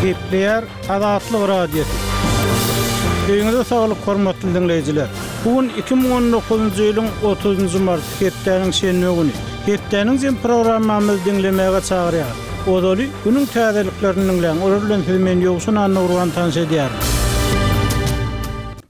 Gepleýär Azatlyk Radiosy. Öýüňize saglyk hormatly diňleýjiler. Bu gün 2019-njy ýylyň 30-njy marty hepdäniň şenbe güni. Hepdäniň jem programmamyzy diňlemäge çagyrýar. Ozaly günüň täzeliklerini diňläň, olar bilen sizi men Ýowşan Annagurban tanyş edýärin.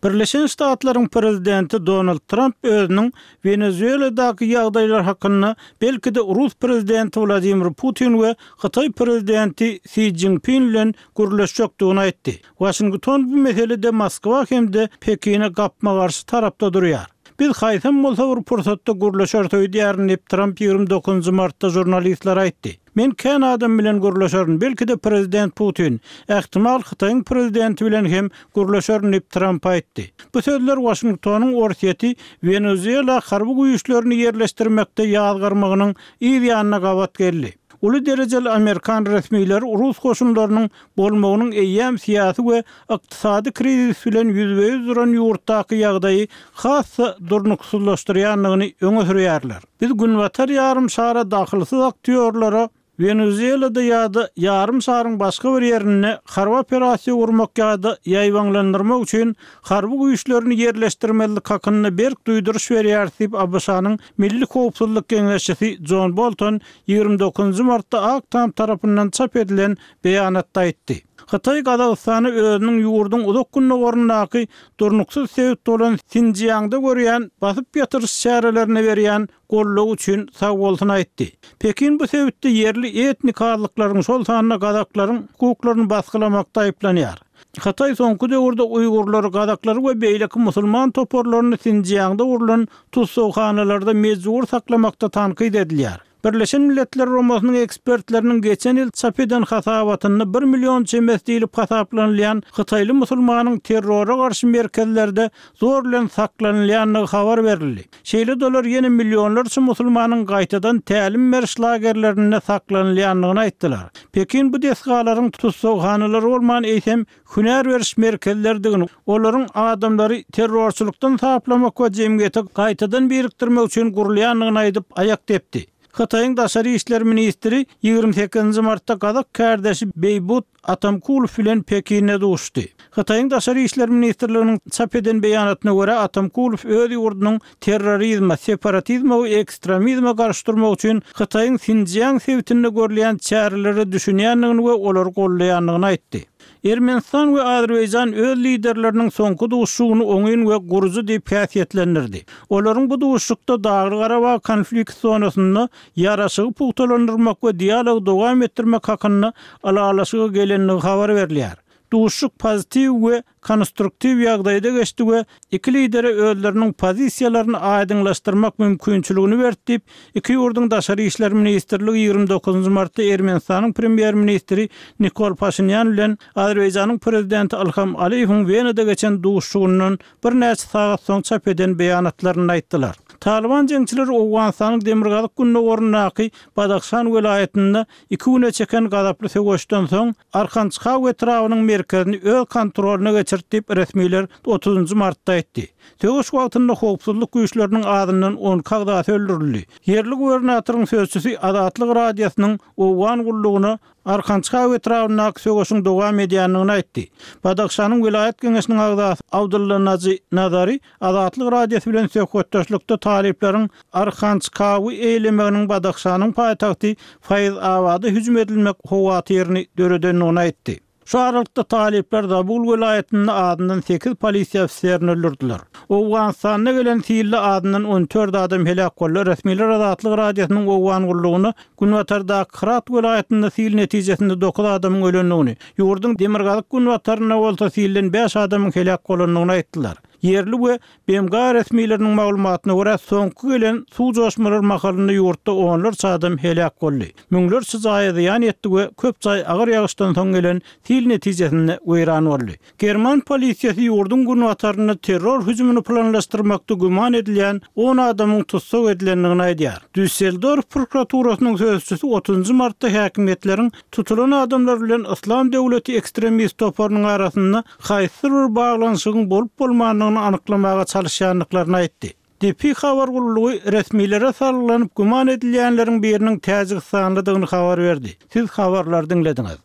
Birleşen Ştatlaryň prezidenti Donald Tramp özüniň Wenezueladaky ýagdaýlar hakynda belki-de rus prezidenti Wladimir Putin we hytaý prezidenti Si Szinpin bilen gürleşjekdigini aýtdy. Waşington bu meselede Moskwa hem-de Pekine gapma-garşy tarapda durýar. Biz haýsam bolsa bir pursatda gürleşeris öýdýärin diýip, Tramp 29 martda žurnalistlere aýtdy. Men kän adam bilen gürleşerin, belki-de prezident Putin, ähtimal Hytaýyň prezidenti bilen hem gürleşerin diýip, Tramp aýtdy. Bu sözler Waşingtonyň Orsýeti Wenezuela harby güýçlerini ýerleşdirmekde ýazgarmagynyň yz ýanyna gabat geldi. Uly derejeli amerikan resmileri rus goşunlarynyň bolmagynyň eýýäm syýasy we ykdysady krizis bilen ýüzbe-ýüz duran ýurtdaky ýagdaýy has-da durnuksyzlaşdyrýandygyny öňe sürýärler. Biz Günbatar ýarym şara dahylsyz aktýorlara Wenezuelada ýa-da ýarym şaryň başga bir ýerinde harby operasiýa gurmak ýa-da ýaýbaňlandyrmak üçin harby güýçlerini ýerleşdirmezlik hakynda berk duýduryş berýäris diýip, ABŞ-nyň Milli howpsuzlyk geňeşçisi Jon Bolton 29 martda Ak Tam tarapyndan çap edilen beýanatda aýtdy. Hytaý Gazagystana özüniň ýurduň uzak gündogaryndaky durnuksyz sebit bolan Sinjiangda görýän basyp ýatyryş çärelerine berýän goldawy üçin sagbolsun aýtdy. Pekin bu sebitde ýerli etnik azlyklaryň, şol sanda gazaklaryň hukuklaryny basgylamakda aýyplanýar. Hytaý soňky döwürde uýgurlary, gazaklary we beýleki musulman toparlaryny Sinjiangda gurlan tussaghanalarda mejbury saklamakda tankyt edilýär. Birleşen Milletler Guramasynyň ekspertleriniň geçen ýyl çap eden hasabatynda bir million çemesi diýlip hasaplanylýan hytaýly musulmanyň terrora garşy merkezlerde zor bilen saklanylýandygy habar berildi. Şeýle-de olar ýene millionlarça musulmanyň gaýtadan tälim beriş lagerlerinde saklanylýandygyny aýtdylar. Pekin bu desgalaryň tussaghanalar bolman, eýsem, hünär beriş merkezleridigini, olaryň adamlary terrorçylykdan saplamak we jemgyýete gaýtadan birikdirmek üçin gurulýandygyny aýdyp, aýak depdi. Hytaýyň daşary işler ministri 28 nji martda gazak kärdeşi Beýbut Atamkulow bilen Pekinde duşuşdy. Hytaýyň Daşary işler ministrliginiň çap eden beýanatyna görä, Atamkulow öz ýurdunyň terrorizme, separatizme we ekstremizme garşy durmak üçin Hytaýyň Sinjiang sebitinde görülýän çärelere düşünýändigini we olary goldaýandygyny aýtdy. Ermenistan we Azerbaýjan öz liderleriniň soňky duşuşygyny oňyn we gurujy diýip häsiýetlendirdi. Olaryň bu duşuşykda Dagly-Garabag konflikt zonasynda ýaraşygy pugtalandyrmak we dialogy dowam etdirmek hakynda ylalaşyga gelendigi habar berilýär. Duşuşyk pozitiw we konstruktiw ýagdaýda geçdi we iki lidere özleriniň pozisiýalaryny aýdyňlaşdyrmak mümkinçiligini berdi diýip, iki ýurduň Daşary işler ministrligi 29 martda Ermenistanyň premýer-ministri Nikol Paşinýan bilen Azerbaýjanyň prezidenti Ilham Aliýewiň Wenada geçen duşuşygyndan birnäçe sagat soň çap eden beýanatlarynda aýtdylar. Talyban jeňçileri Owganystanyň demirgazyk-gündogaryndaky Badahşan welaýatynda Iki güne çeken gazaply söweşden soň, Arkançkaw etrabynyň merkezini öz kontrolyna geçirdi diýip, resmiler otuzynjy martda aýtdy. Söweş wagtynda howpsuzlyk güýçleriniň azyndan 12 agzasy öldürildi. Ýerli gubernatoryň sözçüsi Azatlyk Radiosynyň Owgan gullugyna Arkançkaw etrabyndaky söweşiň dowam edýändigini aýtdy. Badahşanyň welaýat geňeşiniň agzasy Abdylla Najy Nazary Azatlyk Radiosy bilen söhbetdeşlikde talyplaryň Arhançkawy eýelemeginiň Badahşanyň paýtagty Faýz-Abada hüjüm edilmek howatyryny döredendigini aýtdy. Şu aralykda talyplar Zabul welaýatynda azyndan sekiz polisiýa ofiserini öldürdiler. Owganystanda gelen silde azyndan 14 adam heläk boldy. Resmiler Azatlyk Radiosynyň Owgan gullugyna günbatardaky Hyrat welaýatynda sil netijesinde dokuz adamyň ölendigini, ýurduň demirgazyk-günbatarynda bolsa silden bäş adamyň heläk bolandygyny aýtdylar. Ýerli we BMG resmileriniň maglumatyna görä, soňky gelen suw joşmalary mahalynda ýurtda onlarça adam heläk boldy. Müňlerçe jaýa zyýan ýetdi we köp jaý agyr ýagyşdan soň gelen sil netijesinde weýran boldy. German polisiýasy ýurduň günbatarynda terror hüjümini planlaşdyrmakda güman edilýän on adamyň tussag edilendigini aýdýar. Düsseldorf prokuraturasynyň sözçüsi otuzynjy martda häkimiýetleriň tutulan adamlar bilen Yslam döwleti ekstremist toparynyň arasynda haýsydyr bir baglanyşygyň bolup-bolmandygyny anyklamaga çalyşýandyklaryny aýtdy. DP habar gullugy resmilere salgylanyp güman edilýänleriň biriniň täjigistanlydygyny habar berdi. Siz habarlary diňlediňiz.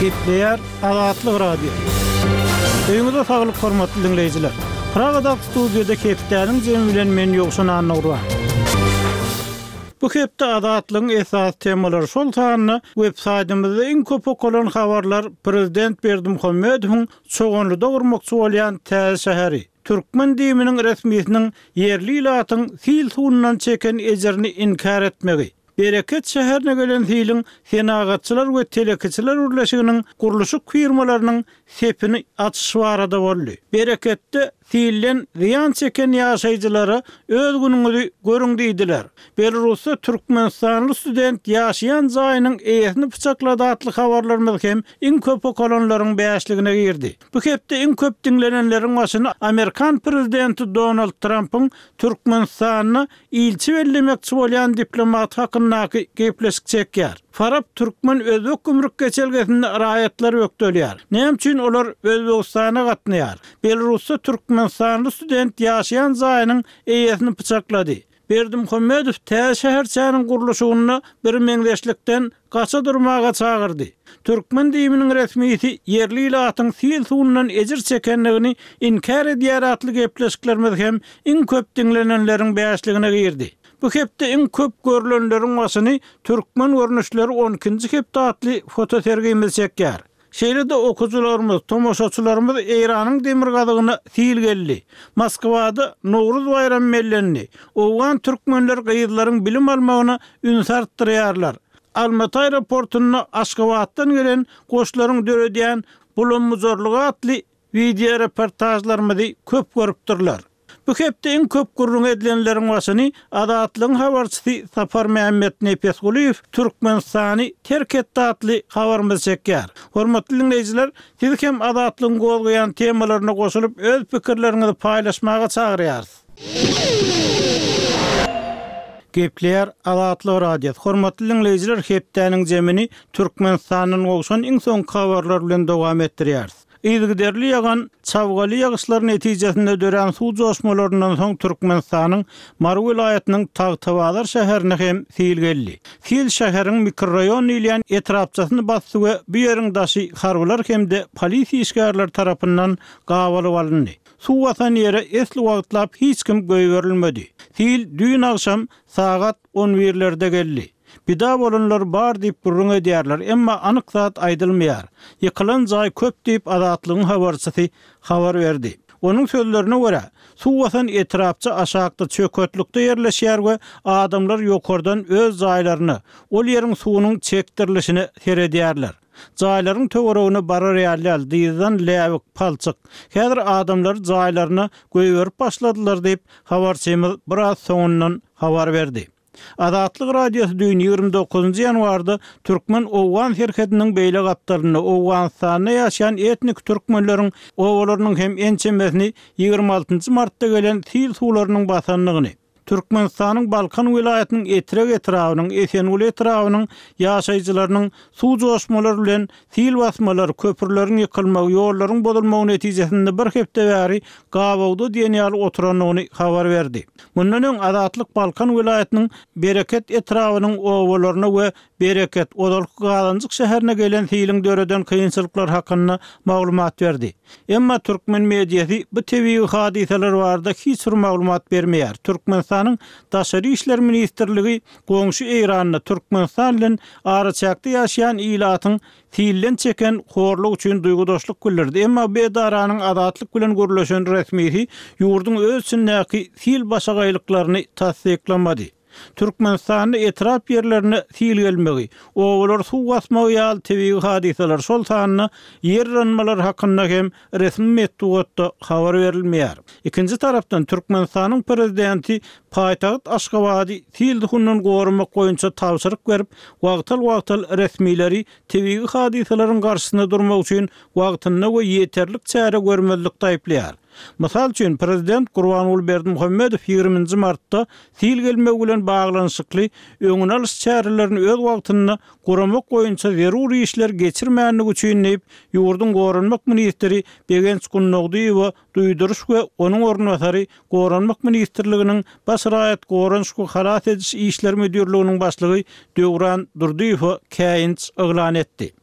Gepleýär Azatlyk Radiosy. Öýüňize saglyk hormatly diňleýjiler. Pragadaky studiýada hepdäniň jemi bilen men Ýowşan Annagurban. Bu hepde Azatlygyň esasy temalary şol sanda web saýtymyzda iň köp okalan habarlar prezident Berdimuhamedowyň Çoganlyda gurmakçy bolýan täze şäheri, türkmen DIM-niň resmisiniň ýerli ilatyň sil suwundan çeken ejirini inkär etmegi, Bereket şäherine gelen siliň Senagatçylar we telekeçiler birleşiginiň gurluşyk firmalarynyň sepini açyşy barada boldy. Bereketde silden zyýan çeken ýaşaýjylara öz günüňizi görüň diýdiler. Belarusda türkmenistanly student ýaşaýan jaýynyň eýesini pyçaklady atly habarlarymyz hem iň köp okalanlaryň bäşligine girdi. Bu hepde iň köp diňlenenleriň başyny amerikan prezidenti Donald Trampyň Türkmenistanda ilçi bellemekçi bolýan diplomat hakyndaky gepleşik çekýär. Farap türkmen-özbek gümrük geçelgesinde raýatlar bökdelýär. Näme üçin olar Özbegistana gatnaýar? Belarusda türkmenistanly student ýaşaýan jaýynyň eýesini pyçaklady. Berdimuhamedow täze şäherçäniň gurluşygynda birmeňzeşlikden gaça durmaga çagyrdy. Türkmen DIM-niň resmisi ýerli ilatyň sil suwundan ejir çekendigini inkär edýär atly gepleşiklerimiz hem iň köp diňlenenleriň bäşligine girdi. Bu hepde iň köp görlenleriň başyny Türkmen görnüşleri on ikinji hepde atly fotosergimiz çekýär. Şeýle-de okyjylarymyz, tomaşaçylarymyz Eýranyň demirgazygyna sil geldi. Moskwada Nowruz baýramy bellendi. Owgan türkmenleri gyzlaryň bilim almagyna ünsi artdyrýarlar. Almaty aeroportunda Aşgabatdan gelen goşlaryň döredýän bulam-bujarlygy atly wideoreportažlarymyzy köp görüpdirler. Bu hepde iň köp gürrüň edilenleriň başyny Azatlygyň habarçysy Saparmämmet Nepesgulyýew Türkmenistany terk etdi atly habarymyzy çekýär. Hormatly diňleýjiler, sizi hem Azatlygyň gozgaýan temalaryna goşulyp öz pikirleriňizi paýlaşmaga çagyrýarys. Gepleýär Azatlyk Radiosy. Hormatly diňleýjiler, hepdäniň jemini Türkmenistandan gowşan iň soňky habarlar bilen dowam etdirýäris. Yzygiderli ýagan çabgaly ýagyşlar netijesinde dörän suw joşmalaryndan soň Türkmenistanyň Mary welaýatynyň Tagtabazar şäherine hem sil geldi. Sil şäheriň mikroraýon diýilýän etrapçasyny basdy we bu ýeriň daşy harbylar hem-de polisiýa işgärleri tarapyndan gabalyp alyndy. Suw basan ýere esli wagtlap hiç kim goýberilmedi. Sil düýn agşam sagat on birlerde geldi. Pida bolanlar bar diýip gürrüň edýärler, emma anyk zat aýdylmaýar. Ýykylan jaý köp diýip, Azatlygyň habarçysy habar berdi. Onuň sözlerine görä, suw basan etrapça aşakda çöketlikde ýerleşýär we adamlar ýokardan öz jaýlaryna, ol ýeriň suwunyň çekdirilişine seredýärler. Jaýlaryň töweregine barar ýaly däl, dyzdan läbik, palçyk. Häzir adamlary jaýlaryna goýberip başladylar diýip, habarçymyz biraz soňundan habar berdi. Azatlyk Radiosy düýn, 29-njy ýanwarda türkmen-owgan serhediniň beýle gapdalynda, Owganystanda ýaşaýan etnik türkmenleriň obalarynyň hem ençemesini 26-njy martda gelen sil suwlarynyň basandygyny, Türkmenistanyň Balkan welaýatynyň Etrek etrabynyň, Esenguly etrabynyň ýaşaýjylarynyň suw joşmalary bilen sil basmalar, köprüleriň ýykylmagy, ýollaryň bozulmagy netijesinde bir hepde bäri gabawda diýen ýaly oturandygyny habar berdi. Mundan öň Azatlyk Balkan welaýatynyň Bereket etrabynyň obalaryna we Bereket, ozalky Gazanjyk şäherine gelen siliň döreden kynçylyklary hakynda maglumat berdi. Emma türkmen mediasy bu tebigy hadysalar barada hiç bir maglumat bermeýär. Türkmenistanyň Daşary işler ministrligi goňşy Eýranda Türkmenistan bilen araçäkde ýaşaýan ilatyň Silden çeken horluk üçin duýgudaşlyk bildirdi. Emma bu edaranyň Azatlyk bilen gürleşen resmisi ýurduň öz içindäki sil başagaýlyklaryny tassyklamady. Türkmenistanda etrap ýerlerine sil gelmegi, obalary suw basmagy ýaly tebigy hadysalar, şol sanda ýer yranmalar hakynda hem resmi metbugatda habar berilmeýär. Ikinji tarapdan, Türkmenistanyň prezidenti paýtagt Aşgabady sil suwundan goramak boýunça tabşyryk berip, wagtal-wagtal resmileri tebigy hadysalaryň garşysyna durmak üçin wagtynda we ýeterlik çäre görmezlikde aýyplaýar. Mysal üçin, prezident Gurbanguly Berdimuhamedow ýigriminji martda sil gelmegi bilen baglanyşykly öňüni alyş çärelerini öz wagtynda guramak boýunça zerur işleri geçirmändigi üçin diýip, ýurduň goranmak ministri Begenç Gundogdyýewe duýduryş we onuň orunbasary Goranmak ministrliginiň Baş raýat goranyş we halas ediş işleri müdirliginiň başlygy Döwran Durdyýewe käýinç yglan etdi.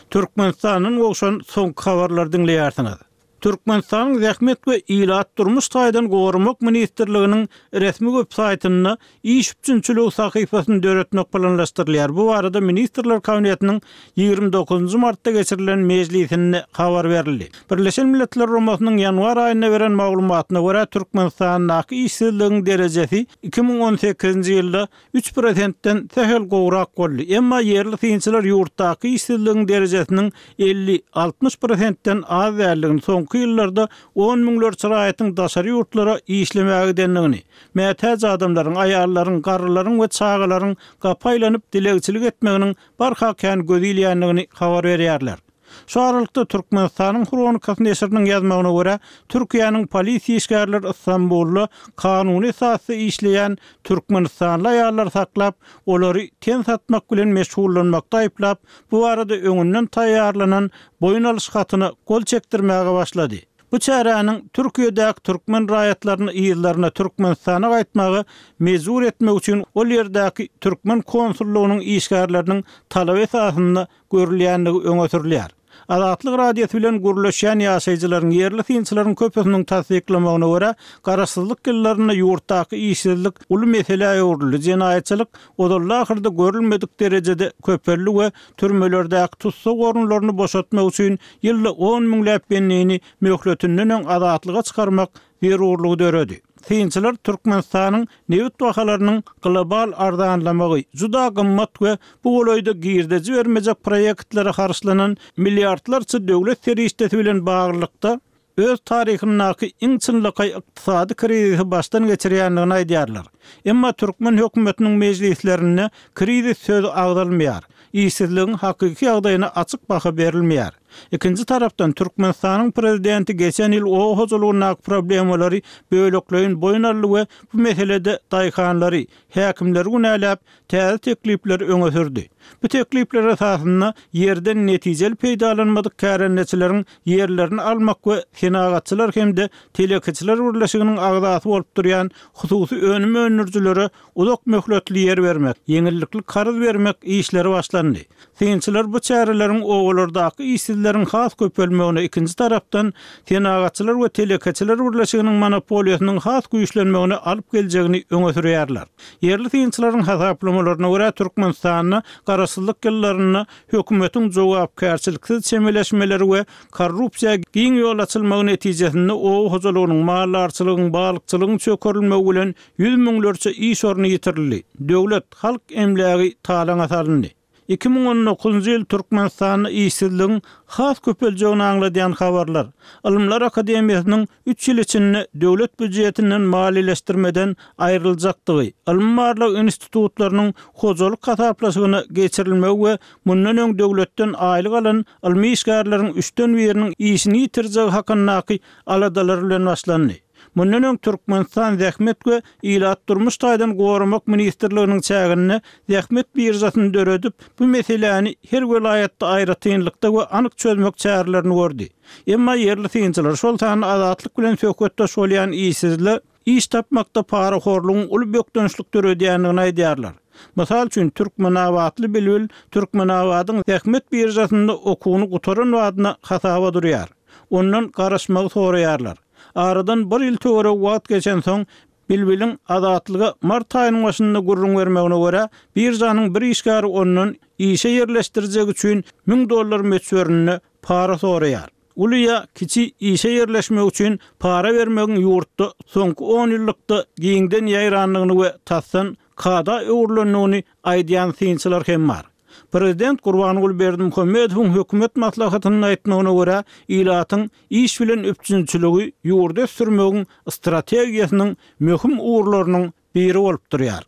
Türkmenistandan gowşan soňky habarlary diňleýärsiňiz. Türkmenistanyň Zähmet we ilat durmuş taýdan goramak ministrliginiň resmi web saýtynda iş üpjünçiligi sahypasyny döretmek planlaşdyrylýar. Bu barada Ministrler Kabinetiniň 29-njy martda geçirilen mejlisinde habar berildi. Birleşen Milletler Guramasynyň ýanwar aýynda beren maglumatyna görä, Türkmenistandaky işsizligiň derejesi 2018-nji ýylda üç prosentden sähel gowrak boldy. Emma ýerli synçylar ýurtdaky işsizligiň derejesiniň 50, 60 prosentden az däldigini, soňky ýyllarda on müňlerçe raýatyň daşary ýurtlara işlemäge gidendigini, mätäç adamlaryň, aýallaryň, garrylaryň we çagalaryň gapa aýlanyp dilegçilik etmeginiň barha kän göz ilýändigini habar berýärler. Şu aralykda, Türkmenistanyň Hronikasy neşiriniň ýazmagyna görä, Türkiýäniň polisiýa işgärleri Ystambulda kanuny esasda işleýän türkmenistanly aýallary saklap, olary ten satmak bilen meşgullanmakda aýyplap, bu barada öňünden taýýarlanan boýun alyş hatyna gol çekdirmäge başlady. Bu çäräniň Türkiýedäki türkmen raýatlaryny yzlaryna Türkmenistana gaýtmaga mejbur etmek üçin ol ýerdäki türkmen konsullygynyň işgärleriniň talaby esasynda görülýändigi öňe sürülýär. Azatlyk Radiosy bilen gürleşýän ýaşaýjylaryň, ýerli synçylaryň köpüsiniň tassyklamagyna görä, garaşsyzlyk ýyllarynda ýurtdaky işsizlik uly meselä öwrüldi, jenaýatçylyk ozalda-ahyrda görülmedik derejede köpeldi we türmelerdäki tussag orunlaryny boşatmak üçin ýylda on müňläp bendini möhletinden öň azatlyga çykarmak zerurlygy döredi. Synçylar Türkmenistanyň nebit bahalarynyň global arzanlamagy, juda gymmat we bu golaýda girdeji bermejek proýektlere harçlanan milliardlarça döwlet serişdesi bilen baglylykda, öz taryhyndaky iň çynlakaý ykdysady krizisi başdan geçirýändigini aýdýarlar. Emma türkmen hökümetiniň mejlislerinde krizis sözi agzalmaýar, işsizligiň hakyky ýagdaýyna açyk baha berilmeýär. Ikinji tarapdan, Türkmenistanyň prezidenti geçen ýyl oba hojalygyndaky problemalary bölekleýin boýun aldy we bu meselede daýhanlary, häkimleri günäläp, täze teklipleri öňe sürdi. Bu teklipler esasynda ýerden netijeli peýdalanmadyk kärendeçileriň ýerlerini almak we Senagatçylar hem-de telekeçiler birleşiginiň agzasy bolup durýan hususy önüm öndürijilere uzak möhletli ýer bermek, ýeňillikli karz bermek işleri başlandy. Synçylar bu çäreleriň obalardaky işsizleriň has köpelmegine, ikinji tarapdan, Senagatçylar we telekeçiler birleşiginiň monopoliýasynyň has güýçlenmegine alyp geljegini öňe sürýärler. Ýerli synçylaryň hasaplamalaryna görä, Türkmenistanda garaşsyzlyk ýyllarynda hökümetiň jogapkärçiliksiz çemeleşmeleri we korrupsiýa giň ýol açylmagy netijesinde oba hojalygynyň, maldarçylygyň, balykçylygyň çökerilmegi bilen Ýüz müňlerçe iş orny ýitirildi, döwlet, halk emlägi talaňa salyndy. 2019-njy ýyl Türkmenistanda işsizligiň has köpeljegini aňladýan habarlar, Ylymlar akademiýasynyň üç ýyl içinde döwlet býujetinden maliýeleşdirmeden aýryljakdygy, ylmy-barlag institutlarynyň hojalyk hasaplaşygyna geçirilmegi we mundan öň döwletden aýlyk alan ylmy işgärleriň üçden biriniň işini ýitirjegi hakyndaky aladalar bilen başlandy. Mundan öň Türkmenistan Zähmet we ilat durmuş taýdan goramak ministrliginiň çäginde zähmet biržasyny döredip, bu meseläni her welaýatda aýratynlykda we anyk çözmek çärelerini gördi. Emma ýerli synçylar, şol sanda Azatlyk bilen söhbetdeş bolýan işsizler iş tapmakda parahorlugyň uly bökdençlik döredýändigini aýdýarlar. Mysal üçin, türkmenabatly Bilbil Türkmenabadyň zähmet biržasynda okuwyny gutaran badyna hasaba durýar. Ondan garaşmagy soraýarlar. Aradan bir ýyl töweregi wagt geçensoň, Bilbiliň Azatlyga mart aýynyň başynda gürrüň bermegine görä, biržanyň bir işgäri ondan işe ýerleşdirjegi üçin 1000 dollar möçberinde para soraýar. Uly ýa kiçi işe ýerleşmek üçin para bermegiň ýurtda soňky onýyllykda giňden ýaýrandygyny we tasdan kada öwrülendigini aýdýan synçylar hem bar. Prezident Gurbanguly Berdimuhamedowyň hökümet maslahatynda aýtmagyna görä, ilatyň iş bilen üpjünçiligi ýurdy ösdürmegiň strategiýasynyň möhüm ugurlarynyň biri bolup durýar.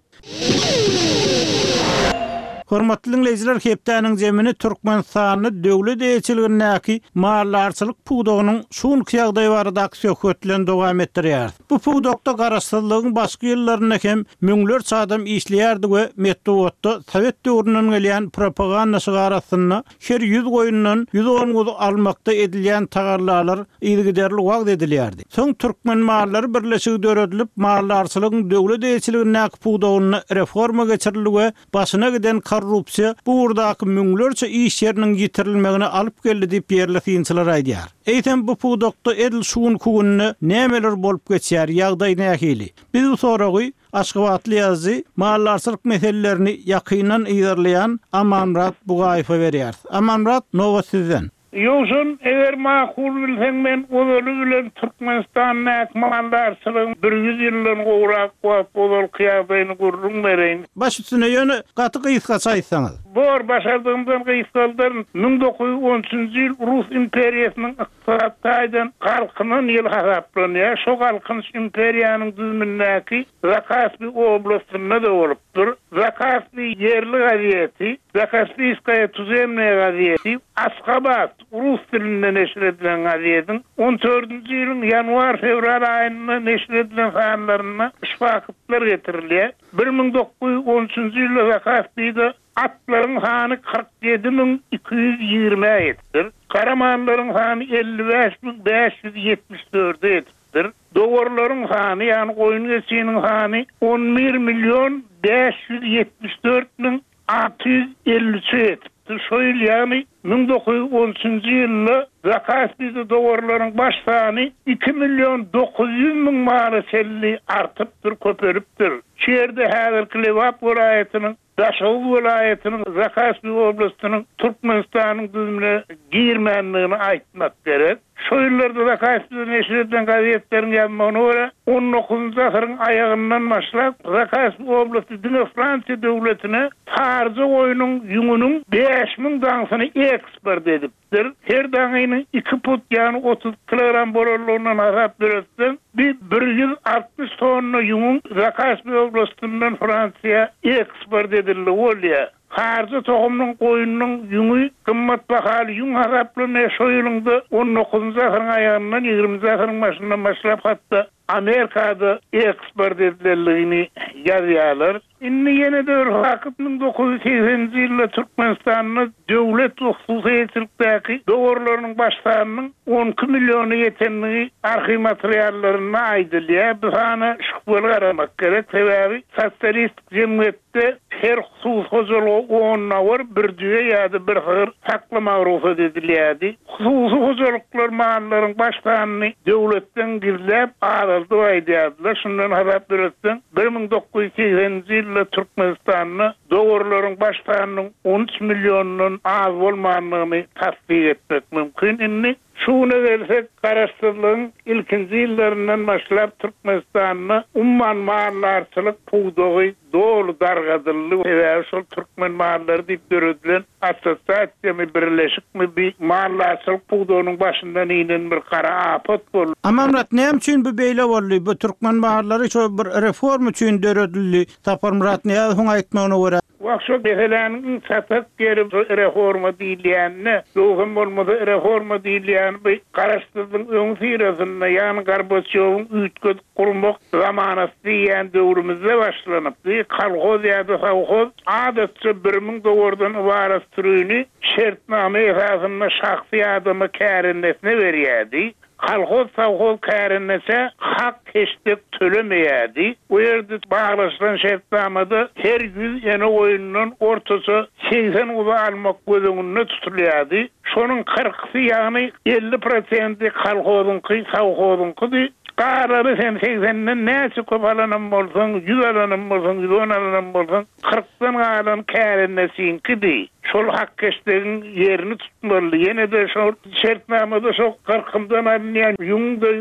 Hormatly diňleýjiler, hepdäniň jemini Türkmenistanda döwlet eýeçiligindäki maldarçylyk pudagynyň şu günki ýagdaýy baradaky söhbet bilen dowam etdirýäris. Bu pudakda garaşsyzlygyň başky ýyllarynda hem müňlerçe adam işleýärdi we metbugatda sowet döwründen gelýän propaganda şygary astynda her ýüz goýundan 110 guzy almakda edilýän tagallalar yzygiderli wagyz edilýärdi. Soň Türkmenmallary birleşigi döredilip, maldarçylygyň döwlet eýeçiligindäki pudagynda reforma geçirildi we başyna giden. korrupsiýa bu ugurdaky müňlerçe iş ýeriniň ýitirilmegine alyp geldi diýip ýerli synçylar aýdýar. Eýsem bu pudakda edil şu günki günde nämeler bolup geçýär, ýagdaý nähili? Biz bu soragy aşgabatly ýazyjy, maldarçylyk meselelerini ýakyndan yzarlaýan Amanmyrat Bugaýewe berýäris. Amanmyrat, nobat sizden. Ýowşan, eger makul bilseň men ozaly bilen Türkmenistandaky maldarçylygyň bir ýüz ýyldan gowrak wagt ozalky ýagdaýyny gürrüň bereýin. Baş üstüne, ýöne gaty gysgaça aýtsaňyz. Bor, başardygymdan gysgaldaryn. 1913-nji ýyl Rus imperiýasynyň ykdysady taýdan galkynan ýyly hasaplanýar. Şo galkynyş imperiýanyň düzümindäki Zakaspi oblastynda-da bolupdyr. Zakaspi ýerli gazeti, Zakaspiýskaýa tuzemnaýa gazeti, Asgabat, rus dilinde neşir edilen gazetiň on dördünji ýylyň ýanwar-fewral aýynda neşir edilen sanlarynda şu faktlar getirilýär. 1913-nji ýylda Zakaspide atlaryň sany 47 220-ä ýetipdir. Gara mallaryň sany 55 574-e ýetipdir. Dowarlaryň sany, ýagny goýun-geçiniň sany 11 million 574 müň 653-e ýetipdir. Şo ýyl, ýagny 1913-nji ýylda Zakaspide dowarlaryň baş sany iki million 900 müň mala çenli artypdyr, köpelipdir. Şu ýerde häzirki Lebap welaýatynyň Daşoguz welaýatynyň Zakaspi oblastynyň Türkmenistanyň düzümine girmändigini aýtmak gerek. Şo ýyllarda Zakaspide neşir edilen gazetleriň ýazmagyna görä, on dokuzynjy asyryň aýagyndan başlap, Zakaspi oblasty diňe Fransiýa döwletine saryja goýnuň ýüňüniň 5000 daňsyny eksport edipdir. Der, her daňynyň iki put, ýagny 30 kilogram bolanlygyndan hasap döretseň, bi 160 tonna ýüňüň Zakaspi oblastyndan Fransiýa eksport edildigi bolýar. Harja tohumynyň goýnunyň ýüňi gymmat bahaly ýüň hasaplanýar, şo ýylyň-da on dokuzynjy asyryň aýagyndan, ýigriminji asyryň başyndan başlap hatda Amerikada eksport edilenligini ýazýarlar. Indi ýene-de bir fakt, 1980-nji ýylda Türkmenistanda döwlet we hususy eýeçilikdäki dowarlarynyň baş sanynyň 12 milliona ýetendigi arhiw materiallarynda aýdylýar. Bu sana şübheli garamak gerek, sebäbi sosialistik jemgyýet De her hususy hojalyga on dawar, bir düýe ýa-da bir sygyr saklamaga rugsat edilýärdi. Hususy hojalyklar mallaryň baş sanyny döwletden gizläp, azaldyp aýdýardylar. Şundan hasap ýöretseň, 1980-nji ýylda Türkmenistanda dowarlaryň baş sanynyň on üç milliondan az bolmandygyny tassyk etmek mümkin. Indi Şu güne gelsek, Garaşsyzlygyň ilkinji ýyllaryndan başlap Türkmenistanda umuman maldarçylyk pudagy doly dargadyldy. Sebäbi şol Türkmen mallary diýip döredilen assosiasiýamy, birleşikmi bi maldarçylyk pudagynyň başyndan inen bir gara apat boldy. Amanmyrat, näme üçin bu beýle boldy? Bu türkmen mallary şo bir reforma üçin döredildi. Saparmyrat Nyýazowyň aýtmagyna görä. Wah, şo meseläniň iň çatak ýeri şo reforma diýilýänine, ýogsam bolmasa reforma diýilýäni bu Garaşsyzlygyň öňüsyrasynda, ýagny Gorbaçýowyň üýtgedip gurmak zamanasy diýýän döwrümizde başlanypdy. Kolhoz ýa-da sowhoz adatça 1000 dowardan ybarat sürüni şertnama esasynda şahsy adama kärendesine berýärdi. Kolhoz-sowhoz kärendeçä hak-heşdek tölemeýärdi. Bu ýerde baglaşylan şertnamada her ýüz ene goýundan ortaça 80 guzy almak göz öňünde tutulýardy. Şonuň kyrkysy, ýagny 50 prosenti kolhozyňky, sowhozyňkydy. Galany sen segsenden näçe köp alanam bolsaň, ýüz alanam bolsaň, 110 alanam bolsaň, kyrkdan galan kärendeçiňkidi. Şol hak-heşdegiň ýerini tutmalydy. Ýene-de şol şertnamada şo gyrkymdan alynýan ýüňüň-de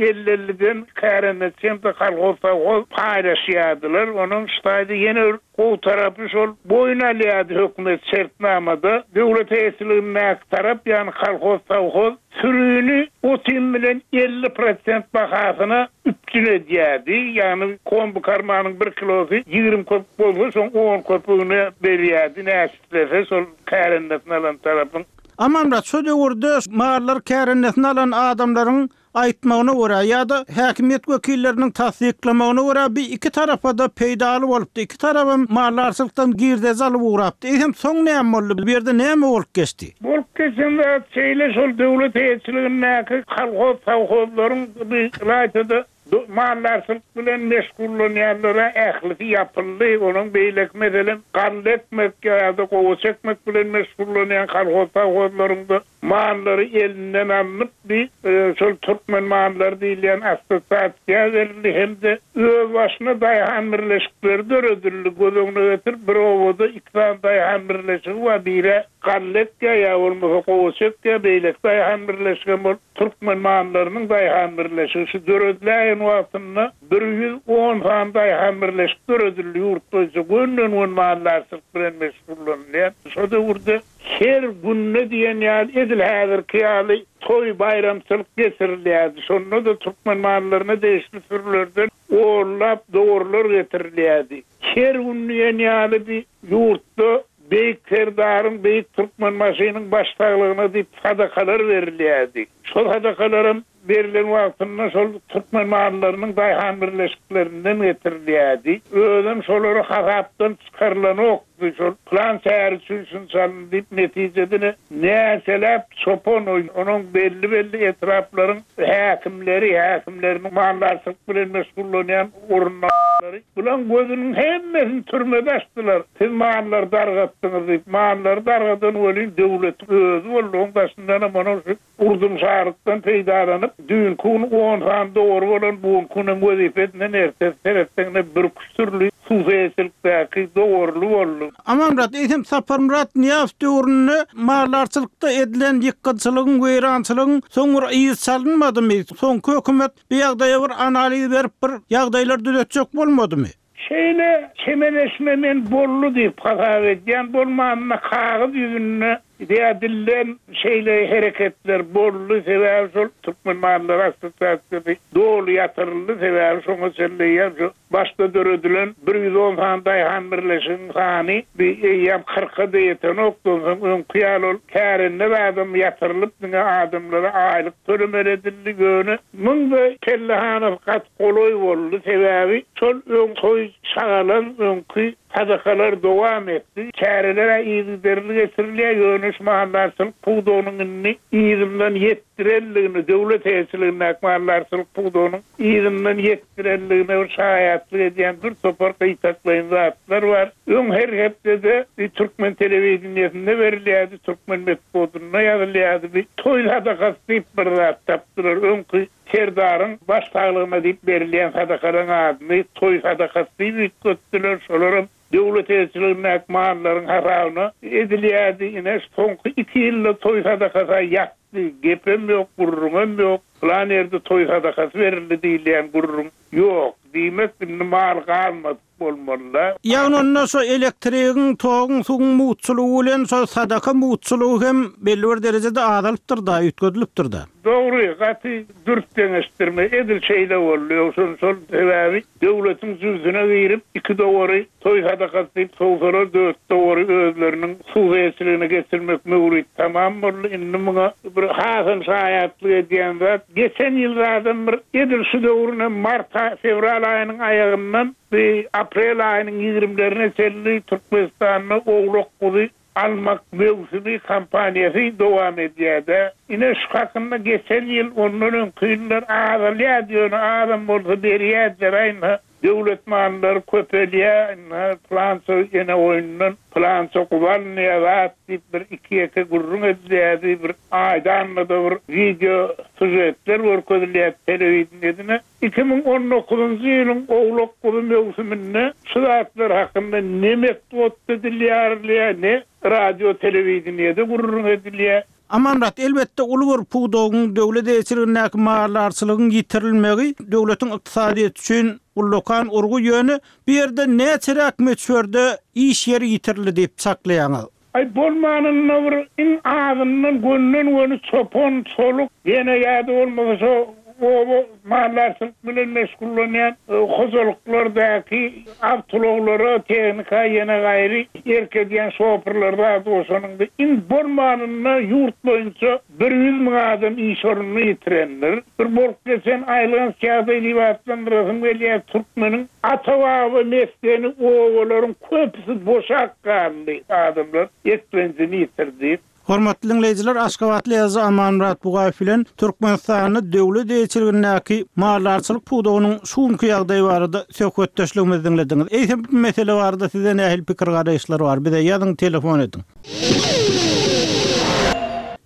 elli-elliden kärendeçi hem-de kolhoz-sowhoz paýlaşýardylar. Onuň şu taýda ýene bir gowy tarapy şol boýun alýardy hökümet şertnamada döwlet eýeçiligindäki tarap, ýagny kolhoz-sowhoz Sürüni ot-iým bilen 50 prosent bahasyna üpjün edýärdi. Ýagny kombikarmanyň bir kilosy 20 köpük bolsa, şoň on köpügini berýärdi, näçe islese şol kärendesine alan tarapyň. Amanmyrat, şo döwürde mallary kärendesine alan adamlaryň aýtmagyna görä ýa-da häkimiýet wekilleriniň tassyklamagyna görä bi iki tarapa-da peýdaly bolupdy. Iki tarabam maldarçylykdan girdeji alyp ugrapdy. Eýsem soň näme boldy? Bu ýerde näme bolup geçdi? Bolup geçen zat şeýle, şol döwlet eýeçiligindäki kolhoz-sowhozlaryň bi ylaýta-da. Maldarçylyk bilen meşgullanýanlara ählisi ýapyldy. Onuň beýleki meselem, galla ekmek ýa-da gowaça ekmek bilen meşgullanýan kolhoz-sowhozlaryň-da mallary elinden alnyp, bi şol türkmen mallary diýilýän assosiasiýa berildi hem-de özbaşyna daýhan birleşikleri döredildi. Göz öňüne getir, bir obada iki sany daýhan birleşigi bar, biri galla ekýär ýa bolmasa gowaça ekýär, beýleki daýhan birleşigem ol Türkmen mallarynyň daýhan birleşigi şu dörediläýen wagtynda 110 sany daýhan birleşik döredildi ýurt boýunça gönden-gön maldarçylyk bilen meşgullanylýan. Şo döwürde her günde diýen ýaly edil häzirki ýaly toý, baýramçylyk geçirilýärdi. Şonda-da türkmen mallaryna degişli sürülerden onlap dowarlar getirilýärdi. Her gün diýen ýaly bi ýurtda Beýik Serdaryň, Beýik Türkmenbaşynyň baş saglygyna diýip sadakalar berilýärdi. Şol sadakalaram berlen wagtynda şol türkmen mallarynyň daýhan birleşiklerinden getirilýärdi. Özem şolary hasapdan çykarylanokdy. Şol pylan şäher üçin şunça alyndy diýip, netijede-de näçeläp çopan, onuň belli-belli etraplaryň häkimleri, häkimleriniň maldarçylyk bilen meşgullanýan orunbasarlary bulaň gözüniň hemmesini türmede açdylar. Siz mallary dargatdyňyz diýip. Mallary dargadan welin döwletiň özi boldy. Oň daşyndanam onuň şu urdumşarlykdan peýdalanyp, düýnki gün on sany dogry bolan bu günki günem wezipesinden ertesi seretseňde birküç dürli suw-seýçilikdäki dowarly boldy. Amanmyrat, eýsem Saparmyrat Nyýazow döwründe maldarçylykda edilen ýykgynçylygyň, weýrançylygyň soň bir yzy çalynmadymy? Soňky hökümet bu ýagdaýa bir analiz berip bir ýagdaýlary düzetjek bolmadymy? Şeýle çemeleşme men boldy diýip hasap edýän, bolmanda kagyz ýüzünde ýa dilden şeýle hereketler boldy, sebäbi şol Türkmen mallary assosiasiýasy doly ýatyryldy, sebäbi şoňa çenli eýýäm şu başda döredilen 110 sany daýhan birleşigiň sany bi eýýäm kyrka-da ýetenokdy, onsoň öňki ýaly ol kärende zadam ýatyrylyp diňe adamlara aýlyk tölemeli edildi, ýöne muň-da pellehanasy gaty golaý boldy, sebäbi şol öň toý şagalaň öňki sadakalar dowam etdi. Çäreler-ä yzygiderli geçirilýär, ýöne şu maldarçylyk pudagynyň indi yzyndan ýetdirenligini, döwlet eýeçiligindäki maldarçylyk pudagynyň yzyndan ýetdirenligine bir şaýatlyk edýän bir topar gytaklaýyn zatlar bar. Öň her hepdede bir türkmen telewideniýesinde berilýärdi, türkmen metbugatynda ýazylýardy, bir toý sadakasy diýip bir zat tapdylar. Öňki Serdaryň baş saglygyna diýip berilýän sadakalaryň adyny toý sadakasy diýip üýtgetdiler. Şolaram döwlet eýeçiligindäki mallaryň hasabyna edilýärdi. Ine, şu soňky iki ýylda toý sadakasy-a ýatdy. Gepem ýok, gürrüňem ýok. Pylan ýerde toý sadakasy berildi diýilýän gürrüň ýok. Diýmek, indi mal galmady. bolmaly-da. Ýagny onda şo elektrigiň, toguň, suwuň mugtçulygy bilen şo sadaka mugtçulygy hem belli bir derejede azalypdyr-da, üýtgedilipdir-da. Dogry, gaty dürs deňeşdirme, edil şeýle boldy. Ýogsam şol sebäbi döwletiň jübsüne girip, iki dowary toý sadakasy diýip sowsalar, dört dowary özleriniň hususyýetçiligine geçirmek möwrit tamam boldy. Indi muňa bir hasam şaýatlyk edýän zat, Geçen ýyl zadam bir edil şu döwrüne mart fewral aýynyň aýagyndan bir aprel aýynyň ýigrimlerine çenli Türkmenistanda owlak-guzy almak möwsümi kampaniýasy dowam edýär-de. Ine şu hakynda geçen ýyl ondan öňki ýyllar azalýardy ýöne azam bolsa berýärdiler aýna Döwlet mallary köpelýär, ynha, pylança ene goýundan pylança guzy alynýar zat diýip bir iki-ýeke gürrüň edilýärdi, bir aýda-annada bir wideo sýužetler görkezilýärdi telewideniýede. 2019-njy ýylyň owlak-guzy möwsüminde şu zatlar hakynda ne metbugatda dil ýarylýar, ne radio-telewideniýede gürrüň edilýär. Amanmyrat, elbetde, uly bir pudagyň, döwlet eýeçiligindäki maldarçylygyň ýitirilmegi döwletiň ykdysadyýeti üçin ullakan urgy, ýöne bu ýerde näçeräk möçberde iş ýeri ýitirildi diýip çaklaýaňyz? Aý, bolmanynda bir iň azyndan gönden-göni çopan, çoluk, ýene ýa-da bolmasa şo oba maldarçylyk bilen meşgullanýan hojalyklardaky awtoulaglara, tehnika ýene gaýry erk edýän şoförler zat goşanyňda iň bolmanynda ýurt boýunça 100 müň adam iş ornuny ýitirendir. Bir bolup geçen aýylganç ýagdaý diýip atlandyrasym gelýär, türkmeniň ata-baba mesgeni obalaryň köpüsi boşap galdy, adamlar eklenjini ýitirdi. Hormatly diňleýjiler, aşgabatly ýazyjy Amanmyrat Bugaýew bilen Türkmenistanda döwlet eýeçiligindäki maldarçylyk pudagynyň şu günki ýagdaýy barada söhbetdeşligimizi diňlediňiz. Eýsem bu mesele barada sizde nähili pikir-garaýyşlar bar? Bize ýazyň, telefon ediň.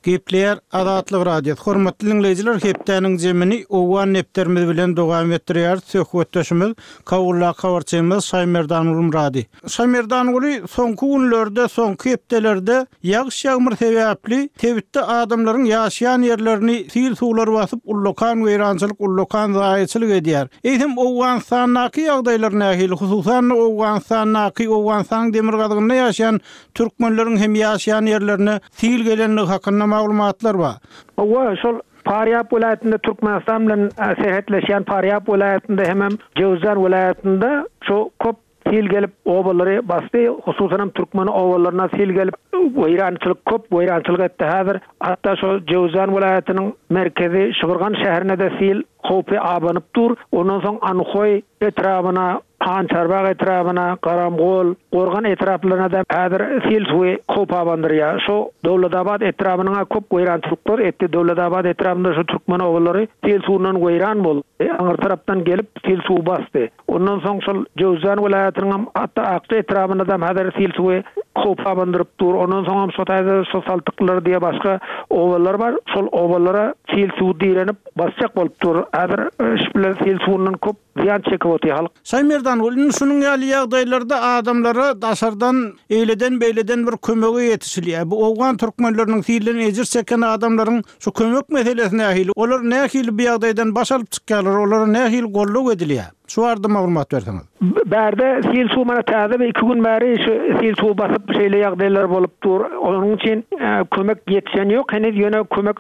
Gepleýär Azatlyk Radiosy. Hormatly diňleýjiler, hepdäniň jemini Owgan depderimiz bilen dowam etdirýäris. Söhbetdeşimiz Kabuldaky habarçymyz Şaýmerdanguly Myrady. Şaýmerdanguly, soňky günlerde, soňky hepdelerde ýagyş-ýagmyr sebäpli sebitde adamlaryň ýaşaýan ýerlerini sil suwlar basyp, ullakan weýrançylyk, ullakan zaýaçylyk edýär. Eýsem, Owganystandaky ýagdaýlar nähili? Hususan-da, Owganystandaky, Owganystanyň demirgazygynda ýaşaýan türkmenleriň hem ýaşaýan ýerlerine sil gelendigi hakynda maglumatlar bar. Hawa, şol Farýap welaýatynda Türkmenistan bilen serhetleşýän Farýap welaýatynda hemem Jöwüzjan welaýatynda şu köp sil gelip obalary basdy, hususanam türkmen obalaryna sil gelip weýrançylyk köp weýrançylyk etdi häzir. Hatda şo Jöwüzjan welaýatynyň merkezi Şybyrgan şäherine-de sil howpy abanyp dur. Ondan soň Anhoý etrabyna Hançarbag etrabyna, Garamgol, Gorgan etraplaryna-da häzir sil suwy howp abandyrýar. Şu Döwletabat etrabynyň-a köp weýrançylyklar etdi. Döwletabat etrabynda şu türkmen obalary sil suwundan weýran boldy. Aňyr tarapdan gelip sil suwy basdy. Ondan soň şol Jöwüzjan welaýatynyňam hatda Akja etrabynadam häzir sil suwy howp abandyryp dur. Ondan soňam şo taýda şo Saltyklar diýe başga obalar bar. Şol obalara sil suwy direnip basjak bolup dur. Häzir şu bilen sil suwundan köp Zyýan çekip otyr halk. Şaýmerdanguly indi şunuň ýaly ýagdaýlarda adamlara daşardan eýleden-beýleden bir kömege ýetişilýär. Bu owgan türkmenleriniň silden ejir çeken adamlaryň şu kömek meselesi nähili? Olar nähili bu ýagdaýdan baş alyp çykýarlar? Olara nähili goldaw edilýär? Şu barada maglumat berseňiz. Bärde sil suw mana täze bir iki gün bäri şu sil suw basyp şeýle ýagdaýlar bolup dur. Onuň üçin kömek ýetişen ýok heniz ýöne kömek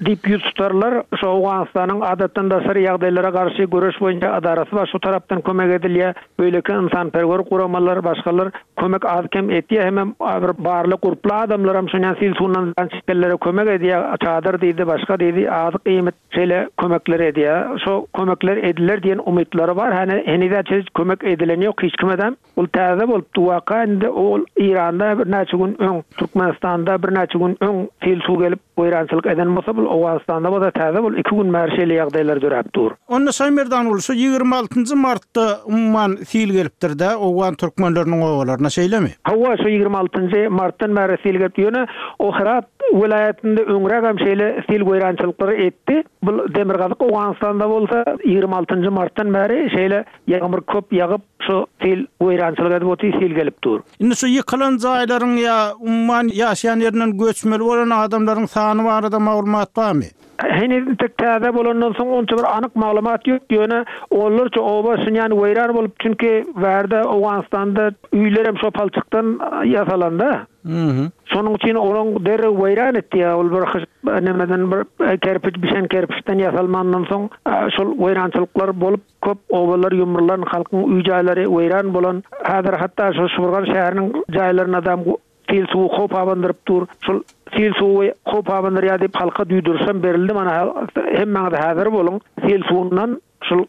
Diýip ýüz tutarlar. Şu Owganystanyň Adatdan daşary ýagdaýlara garşy göreş boýunça ydarasy bar, şu tarapdan kömek edilýär. Beýleki ynsanperwer guramalar, başgalar kömek az-kem etýär. Hemem bir barly, gurply adamlaram şonýan sil suwundan zyýan çekenlere kömek edýär. Çadyr diýdi, başga diýdi, azyk-iýmit şeýle kömekler edýär. Şo kömekler ediler diýen umytlary bar. Häne heniz-ä kömek edileni ýok hiç kimedem. Ol täze bolupdy waka indi ol Eýranda birnäçe gün öň, Türkmenistanda birnäçe gün öň sil suw gelip weýrançylyk eden bolsa bul Owganystanda bolsa täze bul iki gün bäri şeýle ýagdaýlar döräp dur. Onda Şaýmerdanguly şu 26 njy martda umuman sil gelipdir-dä owgan türkmenleriniň obalaryna şeýlemi? Hawa şu 26 njy martdan bäri sil gelipdi ýöne o Hyrat welaýatynda öňrägem şeýle sil weýrançylyklary etdi. Bul demirgazyk Owganystanda bolsa 26 njy martdan bäri şeýle ýagmyr köp ýagyp Şu sil weýrançylyk edip otyr, sil gelip dur. Indi şu ýykylan jaýlaryň ýa umuman ýaşaýan ýerinden göçmeli bolan adamlaryň sany barada maglumat barmy? Heniz entek täze bolandan soň onça bir anyk maglumat ýok, ýöne onlarça oba şunýan weýran bolup, çünki bärde Owganystanda öýlerem şo palçykdan ýasalanda. Şonuň üçin olaň derrew weýran etdi, ol bir hyş nemeden bir kerpiç bişen kerpiçden ýasalmandan soň şol weýrançylyklar bolup, Köp obalar ýumrulan, halkyň öý-jaýlary weýran bolan. Häzir hatda şu Şybyrgan şäheriniň jaýlarynadam sil suwy howp abandyryp dur. Şol sil suwy howp abandyrýar diýip halka duýduryşam berildi. Mana hemmäňiz häzir boluň. Sil suwundan şol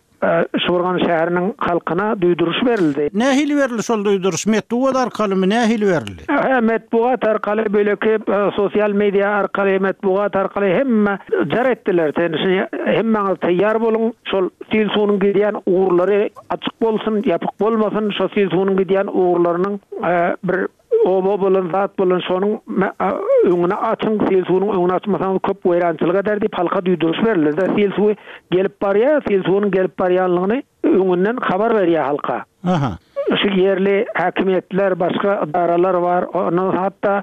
Şybyrgan şäheriniň halkyna duýduryş berildi. Nähili berildi şol duýduryş? Metbugat arkalymy? Nähili berildi? Hä, metbugat arkaly, beýleki sosial media arkaly, metbugat arkaly hemme jar etdiler. Sen hemmäňiz taýýar boluň. Şol sil suwunyň gidýän ugurlary açyk bolsun, ýapyk bolmasyn, şo sil suwunyň gidýän ugurlarynyň bir oba bolan, zat bolan şonuň öňüni açyň, sil suwunyň öňüni açmasaňyz köp weýrançylyk eder diýip halka duýduryş berildi-de, sil suwy gelip barýar, sil suwunyň gelip barýanlygyny öňünden habar berýär halka. Aha. Şu ýerli häkimiýetler, başga edaralar bar, ondan hatda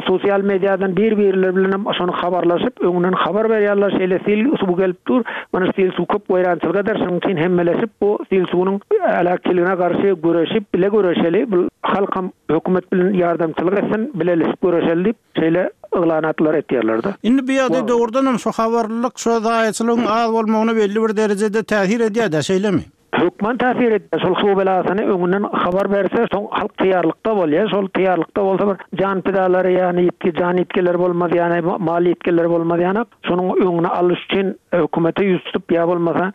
sosial mediadan bir-birleri bilen hem şony habarlaşyp, öňünden habar berýärler, şeýle sil suwy gelip dur, mana sil suw köp weýrançylyk eder, şonuň üçin hemmeleşip bu sil suwunyň heläkçiligine garşy göreşip, bile göreşeli, bu halkam hökümet bilen ýardamçylyk etsin, bileleşip göreşeli diýip, şeýle yglanatlar etýärler-de. Indi bu ýagdaý dogrudanam şu habarlylyk, şu zaýaçylygyň az bolmagyna belli bir derejede täsir edýär-dä, şeýlemi? Hökman täsir edýär. Şol suw belasyny öňünden habar berse, soň halk taýýarlykda bolýar. Şol taýýarlykda bolsa bir jan pidalary, ýagny ýitgi, jan ýitgileri bolmaz, ýagny mal ýitgileri bolmaz ýanak. Şonuň öňüni alyş üçin hökümete ýüz tutup ýa bolmasa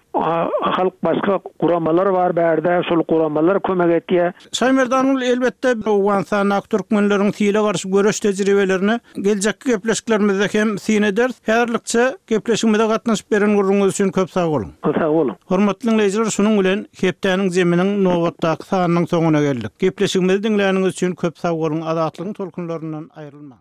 halk başga guramalar bar bärde, şol guramalar kömek etýär. Şaýmerdan elbetde, Owganystandaky türkmenleriň sile garşy göreş tejribelerine geljekki gepleşiklerimizde hem syn ederis. Häzirlikçe gepleşigimize gatnaşyp beren gürrüňiňiz üçin köp sag boluň. Sag boluň. Hormatly diňleýjiler, şunuň bilen hepdäniň zeminiň nobatdaky sanynyň soňuna geldik. Gepleşigimizi diňläniňiz üçin köp sag boluň, Azatlygyň tolkunlaryndan aýrylmaň.